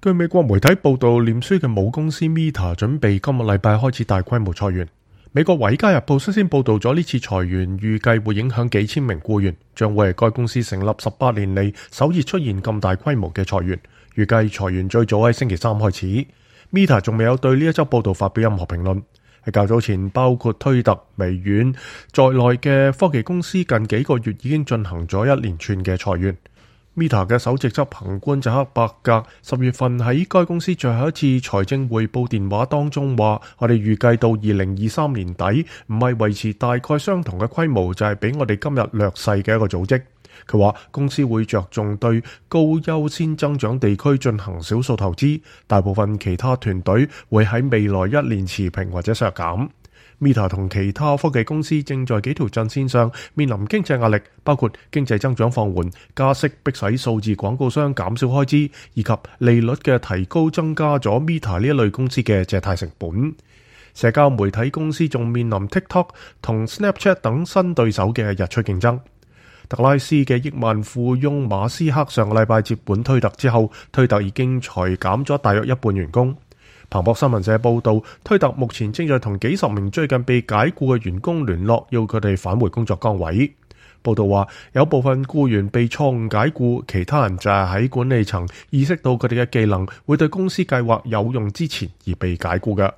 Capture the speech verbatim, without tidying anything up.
據美國媒體報道，臉書嘅母公司 Meta 準備今個禮拜開始大規模裁員。美國《華爾街日報》率先報道咗呢次裁員，預計會影響幾千名僱員，將會係該公司成立十八年嚟首次出現咁大規模嘅裁員。預計裁員最早喺星期三開始。Meta 仲未有對呢一則報道發表任何評論。喺較早前，包括推特、微軟在內嘅科技公司近幾個月已經進行咗一連串嘅裁員。Meta 嘅首席執行官扎克伯格十月份喺該公司最後一次財政匯報電話當中話：我哋預計到二零二三年底，唔係維持大概相同嘅規模，就係比我哋今日略細嘅一個組織。佢話公司會着重對高優先增長地區進行少數投資，大部分其他團隊會喺未來一年持平或者削減。Meta 同其他科技公司正在幾條陣線上面臨經濟壓力，包括經濟增長放緩、加息迫使數字廣告商減少開支，以及利率嘅提高增加咗 Meta 呢一類公司嘅借貸成本。社交媒體公司仲面臨 TikTok 同 Snapchat 等新對手嘅日趨競爭。特拉斯嘅億萬富翁馬斯克上個禮拜接管推特之後，推特已經裁減咗大約一半員工。彭博新聞社報道，推特目前正在同幾十名最近被解僱嘅員工聯絡，要佢哋返回工作崗位。報道話，有部分僱員被錯誤解僱，其他人就係喺管理層意識到佢哋嘅技能會對公司計劃有用之前而被解僱嘅。